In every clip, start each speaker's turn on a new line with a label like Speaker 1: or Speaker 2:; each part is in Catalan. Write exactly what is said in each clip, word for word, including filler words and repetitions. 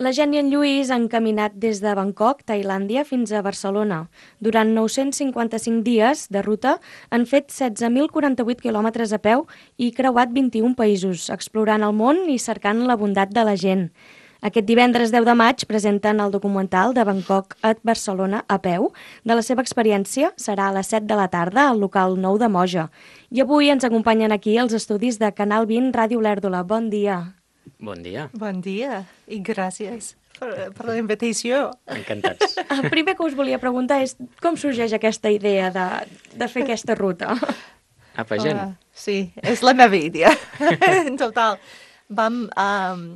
Speaker 1: La Gent i en Lluís han caminat des de Bangkok, Tailàndia, fins a Barcelona. Durant nou-cents cinquanta-cinc dies de ruta han fet setze mil quaranta-vuit quilòmetres a peu i creuat vint-i-un països, explorant el món i cercant la bondat de la gent. Aquest divendres deu de maig presenten el documental de Bangkok a Barcelona a peu. De la seva experiència serà a les set de la tarda al local nou de Moja. I avui ens acompanyen aquí els estudis de Canal vint Ràdio Olèrdola. Bon dia.
Speaker 2: Bon dia.
Speaker 3: Bon dia i gràcies per, per la invitació.
Speaker 2: Encantats.
Speaker 1: El primer que us volia preguntar és com sorgeix aquesta idea de, de fer aquesta ruta?
Speaker 2: Apa, gent.
Speaker 3: Uh, sí, és la meva idea. En total, vam um,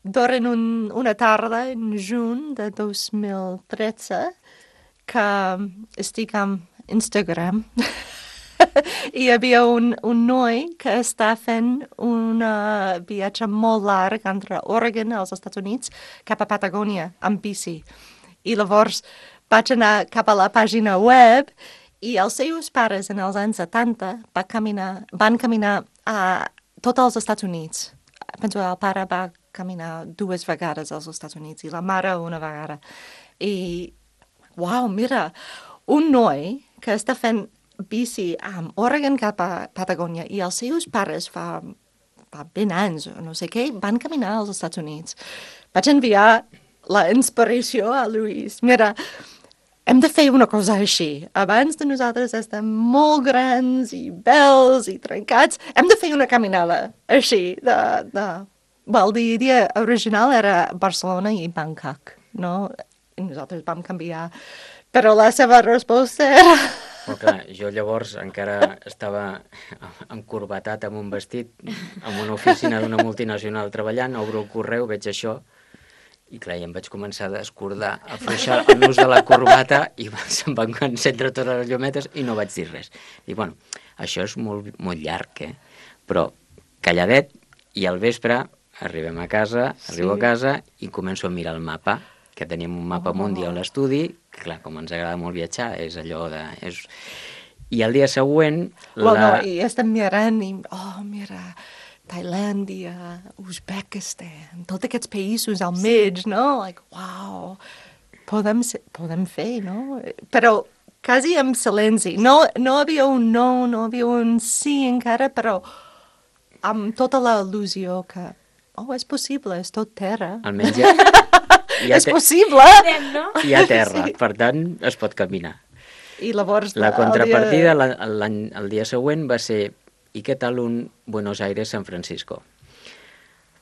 Speaker 3: dormir un, una tarda en juny de dos mil tretze que estic amb Instagram. I hi havia un, un noi que està fent un uh, viatge molt llarg entre Oregon, als Estats Units, cap a Patagònia, amb bici. I llavors vaig anar cap a la pàgina web i els seus pares en els anys setanta va caminar, van caminar a tots els Estats Units. Penso que el pare va caminar dues vegades als Estats Units i la mare una vegada. I, uau, mira, un noi que està fent bici amb Oregon cap a Patagònia i els seus pares fa, fa vint anys o no sé què, van caminar als Estats Units. Vaig enviar la inspiració a Lluís. Mira, hem de fer una cosa així. Abans de nosaltres estem molt grans i bells i trencats, hem de fer una caminada així. De, de... Well, l'idea original era Barcelona i Bangkok, no? I nosaltres vam canviar. Però la seva resposta era...
Speaker 2: Però clar, jo llavors encara estava encorbatat amb un vestit, en una oficina d'una multinacional treballant, obro el correu, veig això, i clar, i em vaig començar a descordar, a afluixar el nus de la corbata, i se'm van encendre totes les llumetes i no vaig dir res. I bueno, això és molt, molt llarg, eh? Però calladet, i al vespre arribem a casa, arribo sí. a casa i començo a mirar el mapa, que teníem un mapa oh. mundi a l'estudi, que clar, com ens agrada molt viatjar, és allò de... És... I el dia següent...
Speaker 3: Well,
Speaker 2: la...
Speaker 3: no, i estem mirant i... Oh, mira, Tailàndia, Uzbekistan, tots aquests països al mig, sí. no? Like, wow, podem, podem fer, no? Però quasi en silenci. No, no havia un no, no havia un sí encara, però amb tota la il·lusió que... Oh, és possible, és tot terra.
Speaker 2: Almenys ja...
Speaker 3: Hi és te... possible!
Speaker 2: Hi ha terra, sí. Per tant, es pot caminar.
Speaker 3: I llavors...
Speaker 2: La contrapartida el dia... La, el dia següent va ser i què tal un Buenos Aires-San Francisco?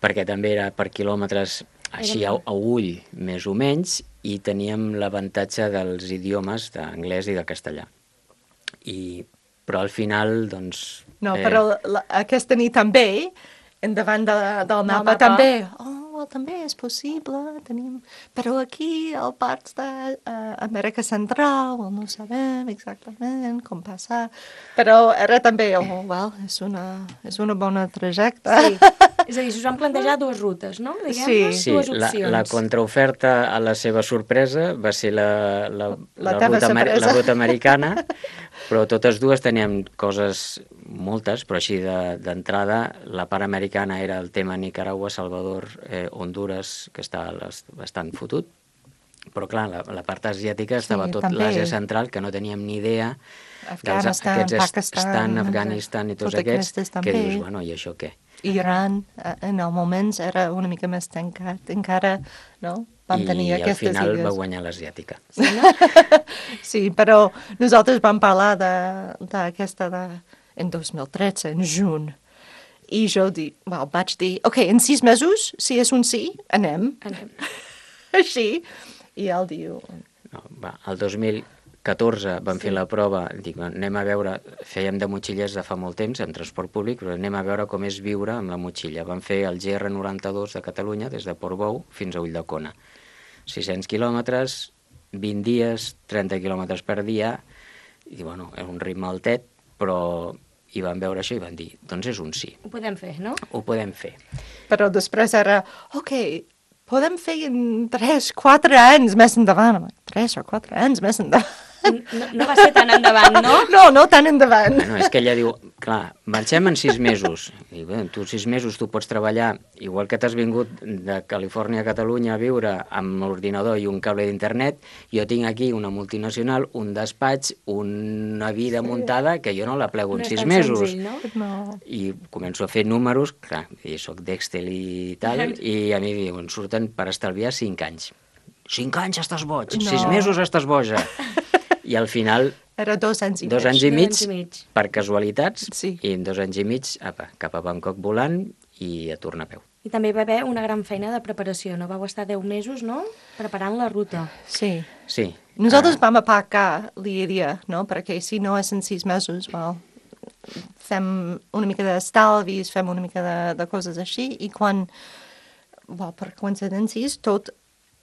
Speaker 2: Perquè també era per quilòmetres així a, a ull, més o menys, i teníem l'avantatge dels idiomes d'anglès i de castellà. I, però al final, doncs...
Speaker 3: No, eh... però la, aquesta nit també, endavant de, del mapa, mapa també... Oh, well, també és possible, tenim... Però aquí, al parc d'Amèrica uh, Central, well, no sabem exactament com passar. Però era també, oh, well, és una, és una bona trajecte.
Speaker 1: Sí. És a dir, us van plantejar dues rutes, no?
Speaker 3: Diguem-ne,
Speaker 2: sí,
Speaker 3: dues
Speaker 2: opcions. La, la contraoferta a la seva sorpresa va ser la, la, la,
Speaker 3: la,
Speaker 2: ruta, la ruta americana, però totes dues teníem coses moltes, però així d'entrada, de, la part americana era el tema Nicaragua, Salvador, eh, Honduras, que està bastant fotut, però clar, la, la part asiàtica estava sí, tot l'Àsia central, que no teníem ni idea,
Speaker 3: Afganistan,
Speaker 2: dels, aquests
Speaker 3: Pakistan,
Speaker 2: Afganistan i tots aquests, que dius, bueno, i això què?
Speaker 3: Iran, en el moment, era una mica més tancat, encara, no? Vam tenir
Speaker 2: I
Speaker 3: aquestes
Speaker 2: al final
Speaker 3: idees.
Speaker 2: Va guanyar l'asiàtica.
Speaker 3: Sí, no? Sí, però nosaltres vam parlar d'aquesta de, de, en dos mil tretze, en juny, i jo dic, well, vaig dir, ok, en sis mesos, si és un sí, anem.
Speaker 1: Anem.
Speaker 3: Així, i ell diu...
Speaker 2: No, va, el dos mil catorze vam sí. fer la prova, dic, anem a veure, fèiem de motxillers de fa molt temps, en transport públic, però anem a veure com és viure amb la motxilla. Vam fer el G R noranta-dos de Catalunya, des de Portbou fins a Ulldecona. sis-cents quilòmetres, vint dies, trenta quilòmetres per dia, i bueno, era un ritme altet, però i van veure això i van dir, doncs és un sí.
Speaker 1: Ho podem fer, no?
Speaker 2: Ho podem fer.
Speaker 3: Però després era, ok, podem fer en tres, quatre anys més endavant. tres o quatre anys més endavant.
Speaker 1: No, no va ser tan endavant, no?
Speaker 3: No, no tan endavant.
Speaker 2: No, és que ella diu, clar, marxem en sis mesos. I bé, tu sis mesos tu pots treballar, igual que t'has vingut de Califòrnia a Catalunya a viure amb l'ordinador i un cable d'internet, jo tinc aquí una multinacional, un despatx, una vida sí. muntada que jo no la plego
Speaker 1: No
Speaker 2: en
Speaker 1: és
Speaker 2: sis
Speaker 1: tan
Speaker 2: mesos.
Speaker 1: senzill, no?
Speaker 3: No.
Speaker 2: I començo a fer números, clar, i soc d'Excel i tal, i a mi diuen, surten per estalviar cinc anys. Cinc anys estàs boig,
Speaker 3: No.
Speaker 2: sis mesos estàs boja. I al final,
Speaker 3: Era dos anys i
Speaker 2: dos
Speaker 3: mig.
Speaker 2: anys i
Speaker 1: Dos
Speaker 2: mig,
Speaker 1: anys i mig.
Speaker 2: per casualitats,
Speaker 3: Sí.
Speaker 2: i en dos anys i mig, apa, cap a Bangkok volant i a tornar a peu.
Speaker 1: I també va haver una gran feina de preparació, no? Vau estar deu mesos, no?, preparant la ruta.
Speaker 3: Sí.
Speaker 2: Sí.
Speaker 3: Nosaltres
Speaker 2: ah,
Speaker 3: vam aparcar l'idea, no? Perquè si no és en sis mesos, well, fem una mica d'estalvis, fem una mica de, de coses així, i quan, well, per coincidències, tot,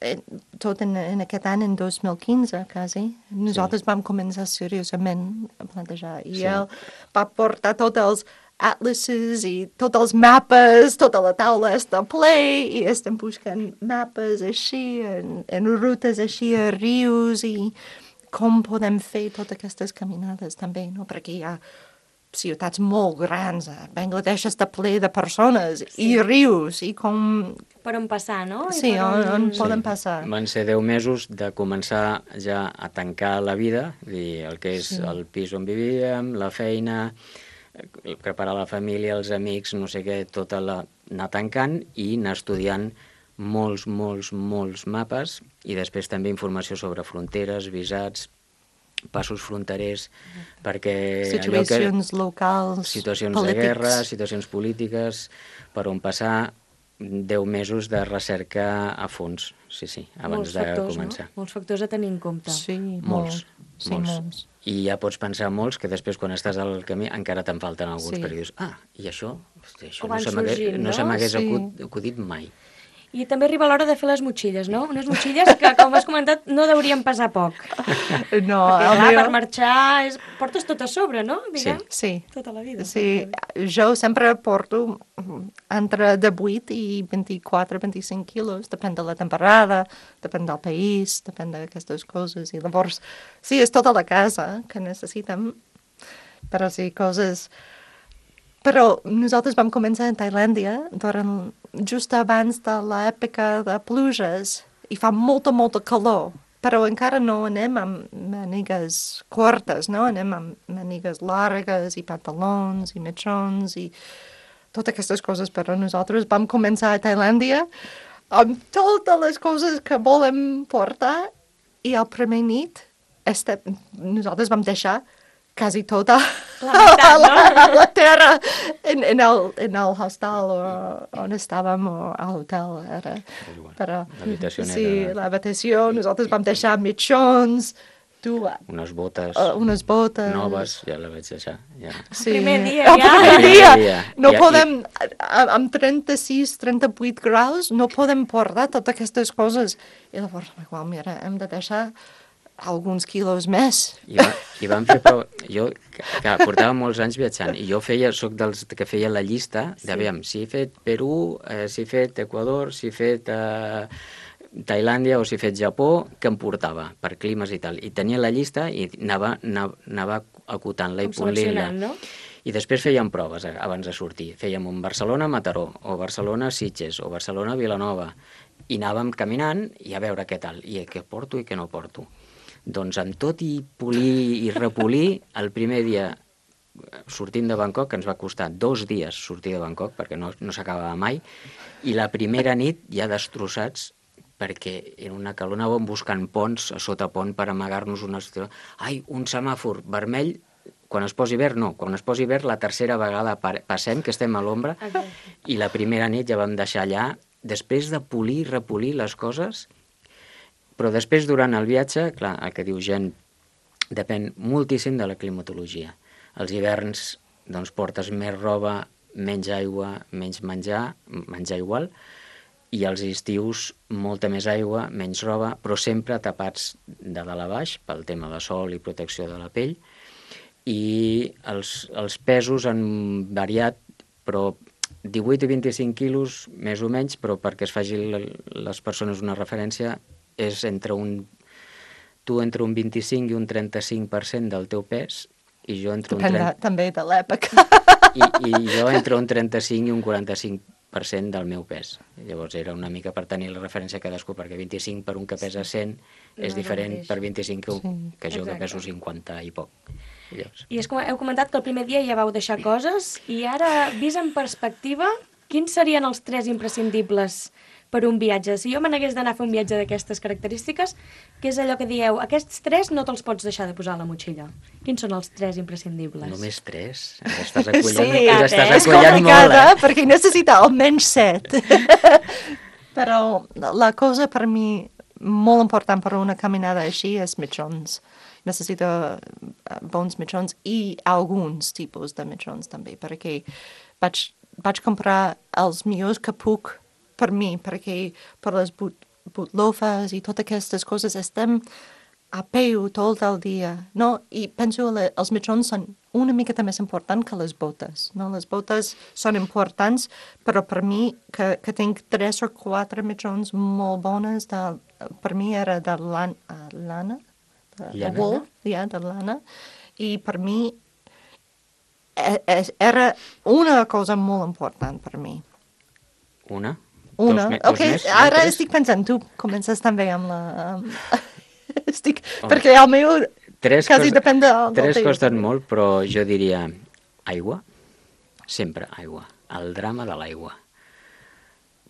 Speaker 3: eh, tot en, en aquest any, en dos mil quinze, quasi, nosaltres sí. vam començar seriosament a plantejar. I
Speaker 2: Sí.
Speaker 3: ell va portar tots els atlases i tots els mapes, tota la taula està ple i estem buscant mapes així, en, en rutes així a rius i com podem fer totes aquestes caminades també, no? Perquè hi ha ciutats molt grans, a Bangladesh està ple de persones sí. i rius i com...
Speaker 1: Per on passar, no? I
Speaker 3: Sí,
Speaker 1: per
Speaker 3: on, on
Speaker 1: Sí.
Speaker 3: poden passar.
Speaker 2: Van ser deu mesos de començar ja a tancar la vida, dir, el que és
Speaker 3: Sí.
Speaker 2: el pis on vivíem, la feina, eh, preparar la família, els amics, no sé què, tota la... anar tancant i anar estudiant molts, molts, molts mapes i després també informació sobre fronteres, visats, passos fronterers, perquè... allò que-
Speaker 3: Situacions locals,
Speaker 2: situacions
Speaker 3: polítics.
Speaker 2: de guerra, situacions polítiques, per on passar deu mesos de recerca a fons, sí, sí, abans
Speaker 1: Molts
Speaker 2: de
Speaker 1: factors,
Speaker 2: començar.
Speaker 1: no? Molts factors a tenir en compte.
Speaker 3: Sí,
Speaker 2: Molts,
Speaker 3: molts. Sí,
Speaker 2: molts.
Speaker 3: molts.
Speaker 2: I ja pots pensar molts que després, quan estàs al camí, encara te'n falten alguns,
Speaker 3: Sí.
Speaker 2: perquè dius, ah, i això, hosti, això
Speaker 1: O
Speaker 2: no
Speaker 1: van
Speaker 2: se m'hagués
Speaker 1: sorgint,
Speaker 2: no?
Speaker 1: no?
Speaker 2: se m'hagués
Speaker 3: Sí.
Speaker 2: acud, acudit mai.
Speaker 1: I també arriba l'hora de fer les motxilles, no? Unes motxilles que, com has comentat, no deurien pesar poc.
Speaker 3: No,
Speaker 1: Perquè,
Speaker 3: el
Speaker 1: clar,
Speaker 3: meu-
Speaker 1: per marxar és... portes tot a sobre, no? Diguem?
Speaker 3: Sí.
Speaker 1: Tota la vida.
Speaker 3: Sí, jo sempre porto entre divuit i vint-i-quatre vint-i-cinc quilos, depèn de la temporada, depèn del país, depèn d'aquestes coses. I llavors, sí, és tota la casa que necessitem, però sí, coses... Però nosaltres vam començar a Tailàndia durant, just abans de l'època de pluges i fa molta, molta calor, però encara no anem amb manigues curtes, no? Anem amb manigues llargues i pantalons i mitjons i totes aquestes coses, però nosaltres vam començar a Tailàndia amb totes les coses que volem portar i el primer nit este, nosaltres vam deixar quasi tota
Speaker 1: La meitat, no?
Speaker 3: la, la terra en, en, el, en el hostal o on estàvem o a l'hotel era.
Speaker 2: igual.
Speaker 3: Però,
Speaker 2: L'habitació
Speaker 3: sí,
Speaker 2: era-
Speaker 3: l'habitació, nosaltres vam deixar mitjons, tu,
Speaker 2: Unes botes
Speaker 3: uh, unes botes.
Speaker 2: noves, ja la vaig deixar. Ja.
Speaker 3: Sí.
Speaker 1: primer dia,
Speaker 3: El
Speaker 1: ja.
Speaker 3: primer
Speaker 2: El
Speaker 3: dia.
Speaker 2: primer dia.
Speaker 3: No
Speaker 2: Ja, i-
Speaker 3: podem, a- amb trenta-sis, trenta-vuit graus, no podem portar totes aquestes coses. I llavors, igual, mira, hem de deixar alguns quilos més.
Speaker 2: I, va, i vam fer prou... Jo, que, que portava molts anys viatjant, i jo feia, soc dels que feia la llista d'aviam, si he fet Perú, eh, si he fet Equador, si he fet eh, Tailàndia o si he fet Japó, que em portava per climes i tal. I tenia la llista i anava, anava, anava acotant-la i
Speaker 1: Com
Speaker 2: polint-la.
Speaker 1: seleccionant, no?
Speaker 2: I després fèiem proves eh, abans de sortir. Fèiem un Barcelona-Mataró, o Barcelona-Sitges, o Barcelona-Vilanova. I anàvem caminant i a veure què tal, i què porto i què no porto. Doncs amb tot i polir i repolir, el primer dia sortint de Bangkok, que ens va costar dos dies sortir de Bangkok, perquè no, no s'acabava mai, i la primera nit ja destrossats, perquè era una calor, anàvem buscant ponts, a sota pont, per amagar-nos una... Ai, un semàfor vermell, quan es posi verd, no, quan es posi verd la tercera vegada passem, que estem a l'ombra, i la primera nit ja vam deixar allà, després de polir i repolir les coses. Però després, durant el viatge, clar, el que diu gent, depèn moltíssim de la climatologia. Els hiverns, doncs, portes més roba, menys aigua, menys menjar, menjar igual, i els estius, molta més aigua, menys roba, però sempre tapats de dalt a baix, pel tema de sol i protecció de la pell, i els, els pesos han variat, però divuit i vint-i-cinc quilos, més o menys, però perquè es faci les persones una referència, és entre un tu entre un vint-i-cinc i un trenta-cinc per cent del teu pes, i jo entre un
Speaker 3: Depèn de,
Speaker 2: trenta...
Speaker 3: també de l'època.
Speaker 2: I, I jo entre un trenta-cinc i un quaranta-cinc per cent del meu pes. Llavors era una mica per tenir la referència a cadascú, perquè vint-i-cinc per un que pesa cent
Speaker 1: No
Speaker 2: és
Speaker 1: és el
Speaker 2: diferent
Speaker 1: mateix.
Speaker 2: per vint-i-cinc que,
Speaker 3: Sí.
Speaker 2: que jo que
Speaker 1: Exacte.
Speaker 2: peso cinquanta i poc. I llavors,
Speaker 1: I és com heu comentat que el primer dia ja vau deixar coses i ara, vist en perspectiva, quins serien els tres imprescindibles per un viatge? Si jo me n'hagués d'anar a fer un viatge d'aquestes característiques, què és allò que dieu? Aquests tres no te'ls pots deixar de posar a la motxilla. Quins són els tres imprescindibles?
Speaker 2: només tres? Ara estàs acollant,
Speaker 3: Sí,
Speaker 2: us estàs
Speaker 1: eh?
Speaker 3: És
Speaker 2: acollant molt,
Speaker 3: complicada
Speaker 2: eh?
Speaker 3: perquè necessita almenys set. Però la cosa per mi molt important per una caminada així és mitjons. Necessita eh, bons mitjons i alguns tipus de mitjons també, perquè vaig, vaig comprar els millors que puc per mi, perquè per les boot, bootlofes i totes aquestes coses estem a peu tot el dia, no? I penso que els mitjons són una miqueta més important que les botes, no? Les botes són importants, però per mi, que, que tinc tres o quatre mitjons molt bones, de, per mi era de lan, uh, lana, de, de
Speaker 2: Llana?
Speaker 3: wool, ja, de lana, i per mi e, e, era una cosa molt important per mi.
Speaker 2: Una?
Speaker 3: Una,
Speaker 2: Dos, me- dos
Speaker 3: ok,
Speaker 2: més? No,
Speaker 3: ara
Speaker 2: tres?
Speaker 3: estic pensant, tu comences també amb la... Um, estic,
Speaker 2: Home,
Speaker 3: perquè el meu
Speaker 2: Tres,
Speaker 3: quasi
Speaker 2: costa-
Speaker 3: depèn del, del
Speaker 2: tres
Speaker 3: teu,
Speaker 2: costen
Speaker 3: també.
Speaker 2: molt, però jo diria aigua, sempre aigua, el drama de l'aigua.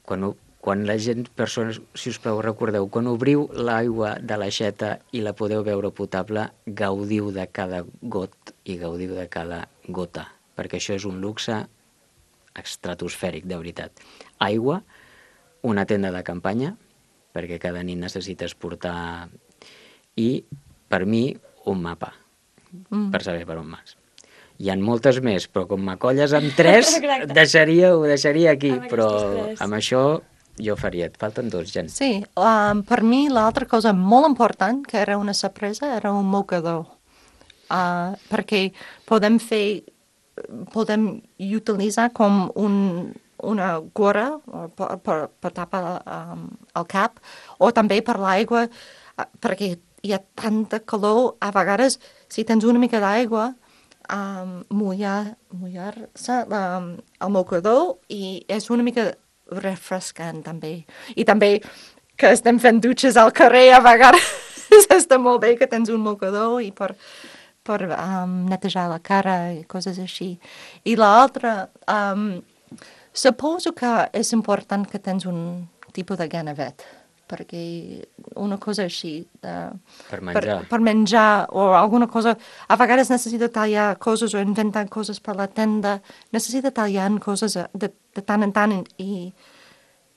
Speaker 2: Quan, ho- quan la gent, persones, si us plau, recordeu, quan obriu l'aigua de l'aixeta i la podeu veure potable, gaudiu de cada got i gaudiu de cada gota, perquè això és un luxe estratosfèric, de veritat. Aigua, una tenda de campanya, perquè cada nit necessites portar... I, per mi, un mapa,
Speaker 3: Mm.
Speaker 2: per saber per on vas. Hi ha moltes més, però com m'acolles amb tres,
Speaker 1: Exacte.
Speaker 2: deixaria, ho deixaria aquí,
Speaker 1: Amb
Speaker 2: però
Speaker 1: aquestes tres.
Speaker 2: amb això jo faria. Et falten dos, Jan.
Speaker 3: Sí, um, per mi l'altra cosa molt important, que era una sorpresa, era un mocador. Uh, perquè podem fer, podem utilitzar com un, una gorra uh, per, per, per tapar um, el cap, o també per l'aigua, uh, perquè hi ha tanta calor, a vegades, si tens una mica d'aigua, um, mullar, mullar-se um, el mocador i és una mica refrescant també. I també que estem fent dutxes al carrer a vegades està molt bé que tens un mocador i per, per um, netejar la cara i coses així. I l'altra, um, suposo que és important que tens un tipus de ganavet, perquè una cosa així de,
Speaker 2: Per menjar.
Speaker 3: per, per menjar o alguna cosa, a vegades necessita tallar coses o inventar coses per la tenda, necessita tallar coses de, de tant en tant i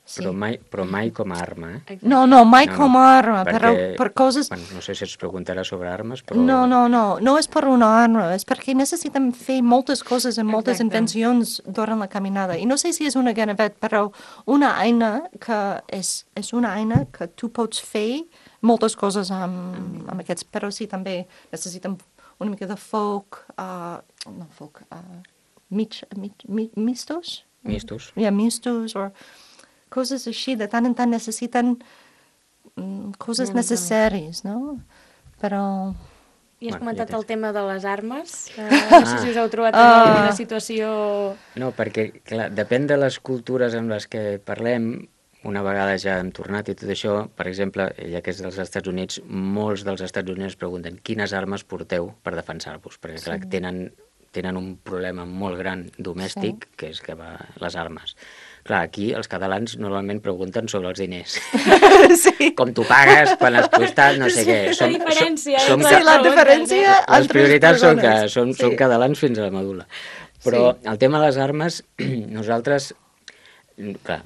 Speaker 3: sí.
Speaker 2: Però, mai, però mai com a arma, eh?
Speaker 1: Exacte.
Speaker 3: No, no, mai
Speaker 2: No, no,
Speaker 3: com a arma, però
Speaker 2: perquè-
Speaker 3: per coses...
Speaker 2: Bueno, no sé si ens preguntarà sobre armes, però...
Speaker 3: No, no, no, no és per una arma, és perquè necessitem fer moltes coses i moltes
Speaker 1: Exacte.
Speaker 3: invencions durant la caminada. I no sé si és una ganavet, però una eina que és, és una eina que tu pots fer moltes coses amb, amb aquests, però sí, també necessitem una mica de foc, uh, no foc, uh, mig, mig, mig, mistos?
Speaker 2: Mistos.
Speaker 3: Ja, mistos, o coses així, de tant en tant necessiten mm, coses
Speaker 1: Una mica
Speaker 3: necessàries, no? Però...
Speaker 1: I has
Speaker 2: Bueno,
Speaker 1: comentat
Speaker 2: ja tens.
Speaker 1: el tema de les armes, que no sé si us heu trobat en
Speaker 3: Ah.
Speaker 1: alguna situació...
Speaker 2: No, perquè, clar, depèn de les cultures amb les que parlem. Una vegada ja hem tornat i tot això, per exemple, ja que és dels Estats Units, molts dels Estats Units pregunten quines armes porteu per defensar-vos, perquè, clar,
Speaker 3: Sí.
Speaker 2: tenen, tenen un problema molt gran domèstic, que és que va les armes. Clar, aquí els catalans normalment pregunten sobre els diners.
Speaker 3: sí.
Speaker 2: Com tu pagues, quan has costat, no sé què.
Speaker 1: La diferència
Speaker 2: som,
Speaker 1: entre
Speaker 3: Sí, la
Speaker 1: preguntes,
Speaker 3: diferència
Speaker 1: eh?
Speaker 2: les
Speaker 3: entre
Speaker 2: prioritats són, que
Speaker 3: persones.
Speaker 2: són,
Speaker 3: Sí.
Speaker 2: són catalans fins a la medul·la. Però
Speaker 3: Sí.
Speaker 2: el tema de les armes, nosaltres, clar,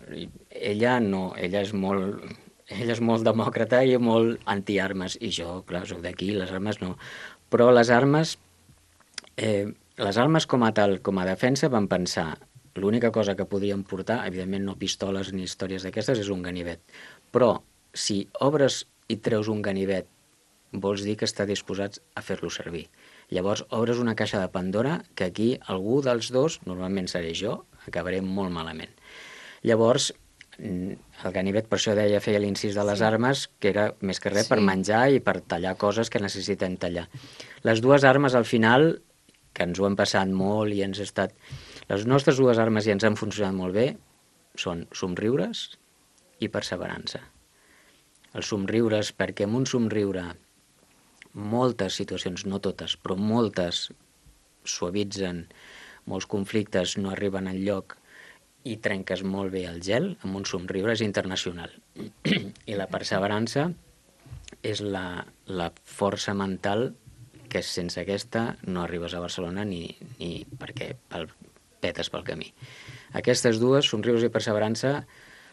Speaker 2: ella no, ella és molt, ella és molt demòcrata i molt antiarmes, i jo, clar, soc d'aquí, les armes no. Però les armes, eh, les armes com a tal, com a defensa, van pensar, l'única cosa que podíem portar, evidentment no pistoles ni històries d'aquestes, és un ganivet. Però si obres i treus un ganivet, vols dir que està disposats a fer-lo servir. Llavors obres una caixa de Pandora que aquí algú dels dos, normalment seré jo, acabaré molt malament. Llavors, el ganivet, per això deia, feia l'incís de les
Speaker 3: Sí.
Speaker 2: armes, que era més que res
Speaker 3: Sí.
Speaker 2: per menjar i per tallar coses que necessitem tallar. Les dues armes, al final, que ens ho hem passat molt i ens ha estat... Les nostres dues armes i ens han funcionat molt bé són somriures i perseverança. Els somriures, perquè amb un somriure moltes situacions, no totes, però moltes suavitzen, molts conflictes no arriben enlloc i trenques molt bé el gel, amb un somriure és internacional. I la perseverança és la, la força mental que sense aquesta no arribes a Barcelona ni, ni perquè pel, petes pel camí. Aquestes dues, somriures i perseverança,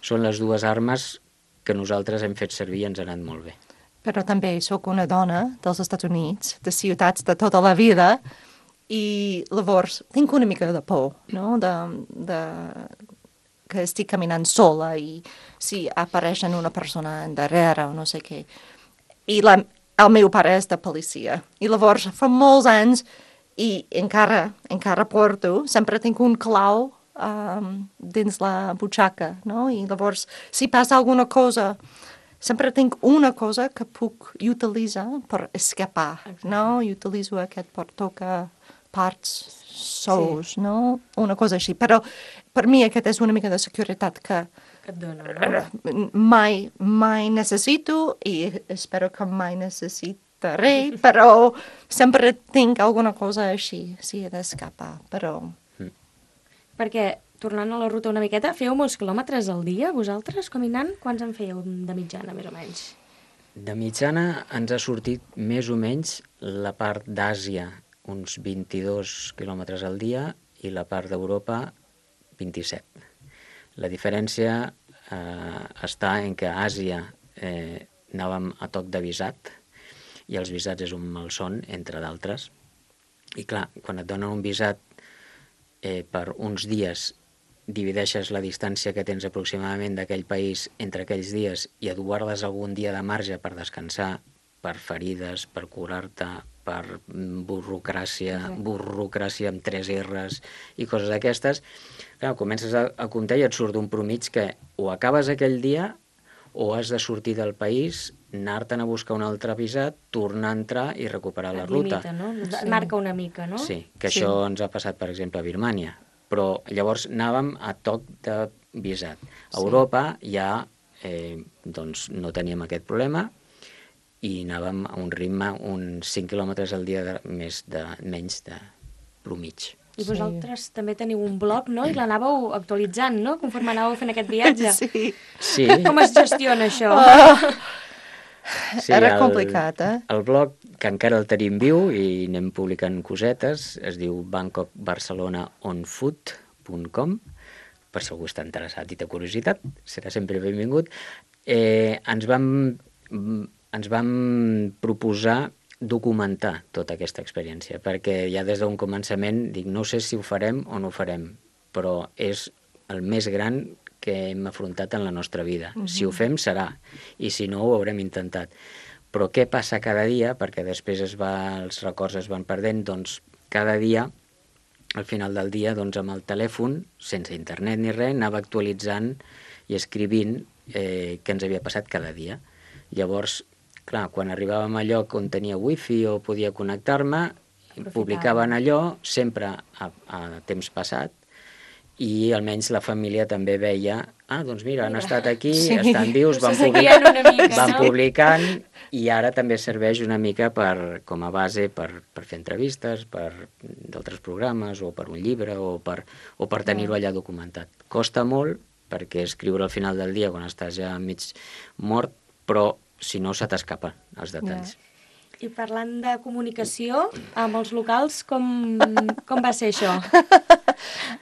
Speaker 2: són les dues armes que nosaltres hem fet servir i ens han anat molt bé.
Speaker 3: Però també sóc una dona dels Estats Units, de ciutats de tota la vida, i llavors tinc una mica de por, no?, de, de que estic caminant sola i si apareixen una persona darrere o no sé què. I la, el meu pare és de policia. I llavors, fa molts anys, i encara, encara porto, sempre tinc un clau um, dins la butxaca, no? I llavors, si passa alguna cosa, sempre tinc una cosa que puc utilitzar per escapar, no? I utilitzo aquest portoca parts sous, sí. No? Una cosa així. Però per mi aquest és una mica de seguretat que,
Speaker 1: que et dona, no?
Speaker 3: mai, mai necessito i espero que mai necessitaré, però sempre tinc alguna cosa així, si he d'escapar, però...
Speaker 2: Mm.
Speaker 1: Perquè, tornant a la ruta una miqueta, feu molts quilòmetres al dia, vosaltres, caminant? Quants en fèieu de mitjana, més o menys?
Speaker 2: De mitjana ens ha sortit més o menys la part d'Àsia, uns vint-i-dos quilòmetres al dia, i la part d'Europa, vint-i-set. La diferència eh, està en que a Àsia eh, anàvem a toc de visat, i els visats és un malson, entre d'altres. I clar, quan et donen un visat eh, per uns dies, divideixes la distància que tens aproximadament d'aquell país entre aquells dies i et guardes algun dia de marge per descansar, per ferides, per curar-te, per burocràcia, sí. burocràcia amb tres erres i coses d'aquestes, clar, comences a, a comptar i et surt un promig que o acabes aquell dia o has de sortir del país, anar-te'n a buscar un altre visat, tornar a entrar i recuperar la
Speaker 1: Et
Speaker 2: ruta.
Speaker 1: limita, no? Et
Speaker 3: Sí.
Speaker 1: marca una mica, no?
Speaker 2: Sí, que
Speaker 3: Sí.
Speaker 2: això ens ha passat, per exemple, a Birmània. Però llavors anàvem a toc de visat. A
Speaker 3: Sí.
Speaker 2: Europa ja eh, doncs no teníem aquest problema i anàvem a un ritme, uns cinc quilòmetres al dia de, més de, menys de promig.
Speaker 1: I
Speaker 3: Sí.
Speaker 1: vosaltres també teniu un blog, no? I l'anàveu actualitzant, no? Conforme anàveu fent aquest viatge.
Speaker 3: Sí.
Speaker 2: Sí,
Speaker 1: Com es gestiona això?
Speaker 3: Oh,
Speaker 2: sí,
Speaker 3: era
Speaker 2: el-
Speaker 3: complicat, eh?
Speaker 2: El blog, que encara el tenim viu i anem publicant cosetes, es diu bangkok barcelona on foot punt com, per si algú està interessat i té curiositat, serà sempre benvingut. Eh, ens vam, ens vam proposar documentar tota aquesta experiència, perquè ja des d'un començament dic, no sé si ho farem o no ho farem, però és el més gran que hem afrontat en la nostra vida. Uh-huh. Si ho fem, serà, i si no, ho haurem intentat. Però què passa cada dia, perquè després es va, els records es van perdent, doncs cada dia, al final del dia, doncs amb el telèfon, sense internet ni res, anava actualitzant i escrivint eh, què ens havia passat cada dia. Llavors, clar, quan arribàvem a lloc on tenia wifi o podia connectar-me, publicaven allò sempre a, a temps passat, i almenys la família també veia, ah, doncs mira, han
Speaker 1: Mira.
Speaker 2: estat aquí,
Speaker 3: Sí.
Speaker 2: estan vius, van,
Speaker 1: Se
Speaker 2: public...
Speaker 1: seguien una mica,
Speaker 2: van
Speaker 1: no?
Speaker 2: publicant, i ara també serveix una mica per, com a base per, per fer entrevistes, per d'altres programes, o per un llibre, o per, o per tenir-ho allà documentat. Costa molt, perquè escriure al final del dia, quan estàs ja mig mort, però si no, se t'escapen els detalls.
Speaker 3: Ja.
Speaker 1: I parlant de comunicació, amb els locals, com, com va ser això?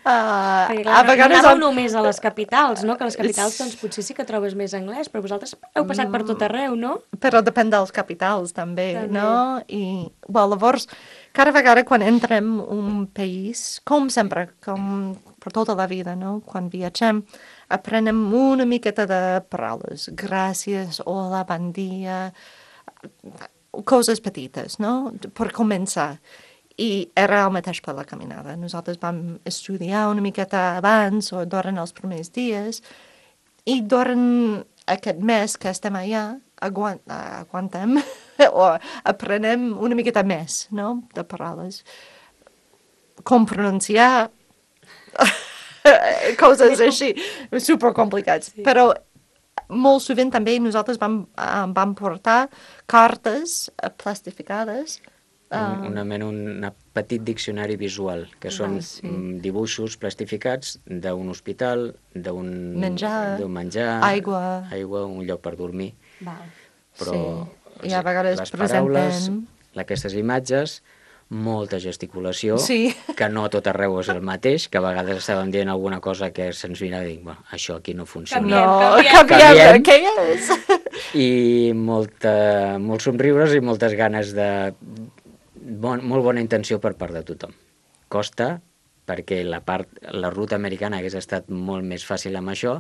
Speaker 3: Uh,
Speaker 1: Perquè,
Speaker 3: a
Speaker 1: clar, no, no
Speaker 3: vegades...
Speaker 1: anàveu
Speaker 3: em-
Speaker 1: només a les capitals, no? Que a les capitals doncs, potser sí que trobes més anglès, però vosaltres heu passat per tot arreu, no?
Speaker 3: Però depèn dels capitals, també,
Speaker 1: També.
Speaker 3: no? I, well, llavors, cada vegada quan entrem un país, com sempre, com per tota la vida, no? Quan viatgem, aprenem una miqueta de paraules. Gràcies, hola, bon dia, coses petites, no? Per començar. I era el mateix per la caminada. Nosaltres vam estudiar una miqueta abans o durant els primers dies I durant aquest mes que estem allà, aguant, aguantem o aprenem una miqueta més, no?, de paraules. Com pronunciar coses així, supercomplicats. Sí. Però molt sovint també nosaltres vam, vam portar cartes plastificades.
Speaker 2: Un, una mena, un petit diccionari visual, que són ah, sí. dibuixos plastificats d'un hospital, d'un
Speaker 3: menjar,
Speaker 2: menjar
Speaker 3: aigua.
Speaker 2: aigua, un lloc per dormir.
Speaker 3: Val.
Speaker 2: Però
Speaker 3: sí. I a vegades
Speaker 2: les
Speaker 3: presentem...
Speaker 2: paraules, aquestes imatges, molta gesticulació, sí. que no tot arreu és el mateix, que a vegades estàvem dient alguna cosa que se'ns vindrà a dir, bueno, això aquí no funciona.
Speaker 3: No, canviem, què és?
Speaker 2: I molta, molts somriures i moltes ganes de... Bon, molt bona intenció per part de tothom. Costa, perquè la, part, la ruta americana hagués estat molt més fàcil amb això,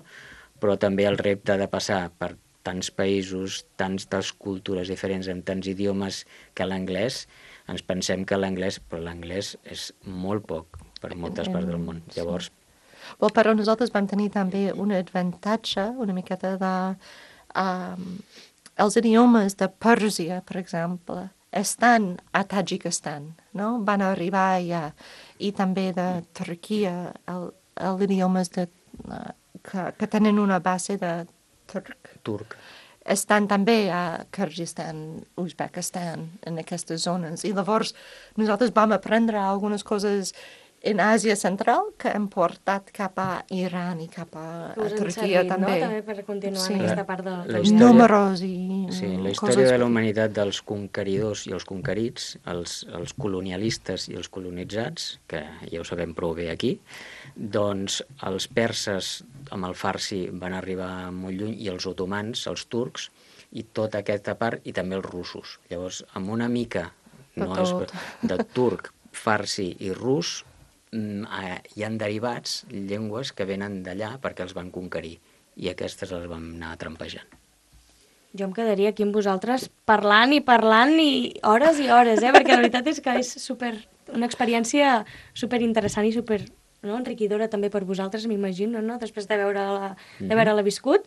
Speaker 2: però també el repte de passar per tants països, tantes cultures diferents, amb tants idiomes, que l'anglès, ens pensem que l'anglès, però l'anglès és molt poc per moltes parts del món. Llavors...
Speaker 3: Well, però nosaltres vam tenir també un avantatge, una miqueta de... Um, els idiomes de Pèrsia, per exemple, estan a Tadjikistan, no? Van arribar allà. I també de Turquia, els idiomes de, uh, que, que tenen una base de turc.
Speaker 2: Turc.
Speaker 3: Estan també a Kyrgyzstan, Uzbekistan, en aquestes zones. I llavors nosaltres vam aprendre algunes coses en Àsia Central que hem portat cap a Iran i cap a, a Turquia
Speaker 1: servit,
Speaker 3: també.
Speaker 1: No? També per continuar
Speaker 3: sí.
Speaker 1: en aquesta part de...
Speaker 2: La història,
Speaker 3: números i
Speaker 2: sí, la història
Speaker 3: coses...
Speaker 2: de la humanitat dels conqueridors i els conquerits, els, els colonialistes i els colonitzats, que ja ho sabem prou bé aquí, doncs els perses amb el farsi van arribar molt lluny, i els otomans, els turcs, i tota aquesta part, i també els russos. Llavors, amb una mica no és, de turc, farsi i rus, hi han derivats, llengües que venen d'allà perquè els van conquerir, i aquestes les vam anar trampejant.
Speaker 1: Jo em quedaria aquí amb vosaltres parlant i parlant i hores i hores, eh? Perquè la veritat és que és super, una experiència super interessant i super, no, enriquidora també per vosaltres, m'imagino, no? Després de veure-la de veure-la viscut.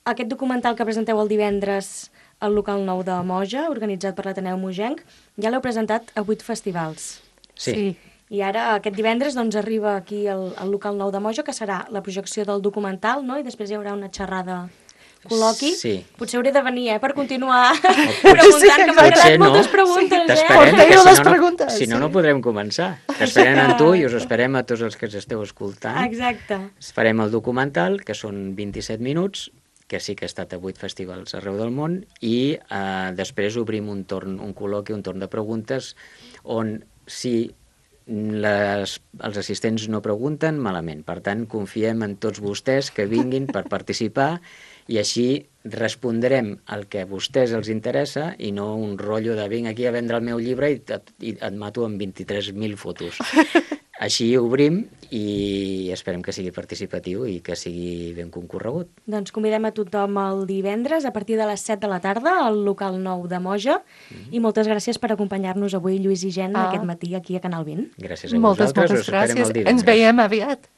Speaker 1: Aquest documental que presenteu el divendres al local nou de Moja, organitzat per l'Ateneu Mogenc, ja l'heu presentat a vuit festivals.
Speaker 2: Sí.
Speaker 3: sí.
Speaker 1: I ara, aquest divendres, doncs, arriba aquí al, al local nou de Moja, que serà la projecció del documental, no? I després hi haurà una xerrada col·loqui.
Speaker 2: Sí.
Speaker 1: Potser hauré de venir, eh, per continuar preguntant, sí, que m'han quedat
Speaker 2: no.
Speaker 1: moltes preguntes, eh?
Speaker 2: Porteu
Speaker 3: les
Speaker 2: si no,
Speaker 3: preguntes.
Speaker 2: No, si no, no podrem començar. T'esperem amb tu i us esperem a tots els que ens esteu escoltant.
Speaker 1: Exacte.
Speaker 2: Farem el documental, que són vint-i-set minuts, que sí que ha estat a vuit festivals arreu del món, i eh, després obrim un torn, un col·loqui, un torn de preguntes, on si les, els assistents no pregunten, malament. Per tant, confiem en tots vostès que vinguin per participar, i així respondrem el que a vostès els interessa i no un rotllo de vinc aquí a vendre el meu llibre i et, i et mato amb vint-i-tres mil fotos. Així obrim i esperem que sigui participatiu i que sigui ben concorregut.
Speaker 1: Doncs convidem a tothom el divendres a partir de les set de la tarda al local nou de Moja, mm-hmm. i moltes gràcies per acompanyar-nos avui, Lluís i Jen, ah. aquest matí aquí a Canal vint.
Speaker 2: Gràcies a
Speaker 3: moltes,
Speaker 2: vosaltres,
Speaker 3: moltes
Speaker 2: us esperem
Speaker 3: gràcies.
Speaker 2: el divendres.
Speaker 3: Ens veiem aviat.